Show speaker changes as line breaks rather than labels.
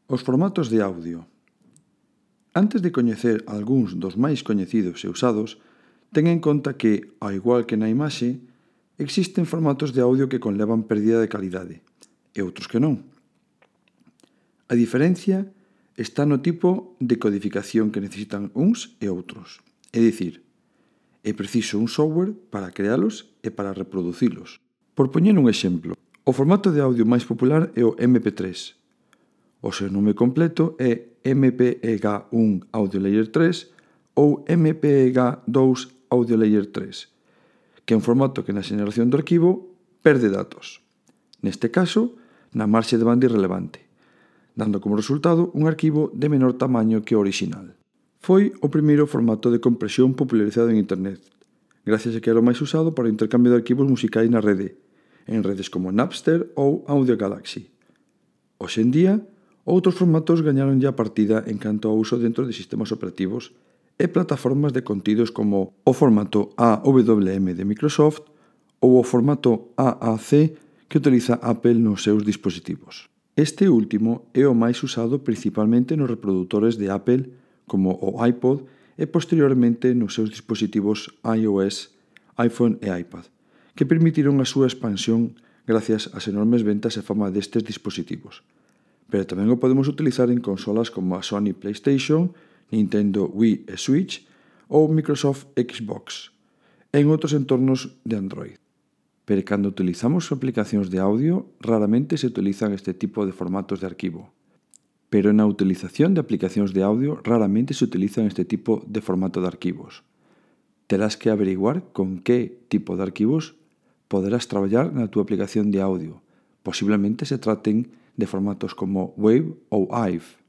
Os formatos de audio. Antes de coñecer algúns dos máis coñecidos e usados, ten en conta que, ao igual que na imaxe, existen formatos de audio que conlevan pérdida de calidade e outros que non. A diferencia está no tipo de codificación que necesitan uns e outros. É dicir, é preciso un software para crealos e para reproducilos. Por poñer un exemplo, o formato de audio máis popular é o MP3. O seu nome completo é MPEG-1 Audio Layer 3 ou MPEG-2 Audio Layer 3, que é un formato que na xeneración do arquivo perde datos. Neste caso, na marxe de banda irrelevante, dando como resultado un arquivo de menor tamaño que o original. Foi o primeiro formato de compresión popularizado en Internet, gracias a que era o máis usado para o intercambio de arquivos musicais na rede, en redes como Napster ou Audio Galaxy. Hoxe en día, outros formatos gañaronlle a partida en canto ao uso dentro de sistemas operativos e plataformas de contidos como o formato AWM de Microsoft ou o formato AAC que utiliza Apple nos seus dispositivos. Este último é o máis usado principalmente nos reprodutores de Apple como o iPod e posteriormente nos seus dispositivos iOS, iPhone e iPad, que permitiron a súa expansión gracias ás enormes ventas e fama destes dispositivos. Pero tamén o podemos utilizar en consolas como a Sony PlayStation, Nintendo Wii e Switch ou Microsoft Xbox, e en outros entornos de Android. Pero cando utilizamos aplicacións de audio, raramente se utilizan este tipo de formatos de arquivo. Pero na utilización de aplicacións de audio, raramente se utilizan este tipo de formato de arquivos. Terás que averiguar con que tipo de arquivos poderás traballar na túa aplicación de audio. Posiblemente se traten de formatos como WAV ou AIF.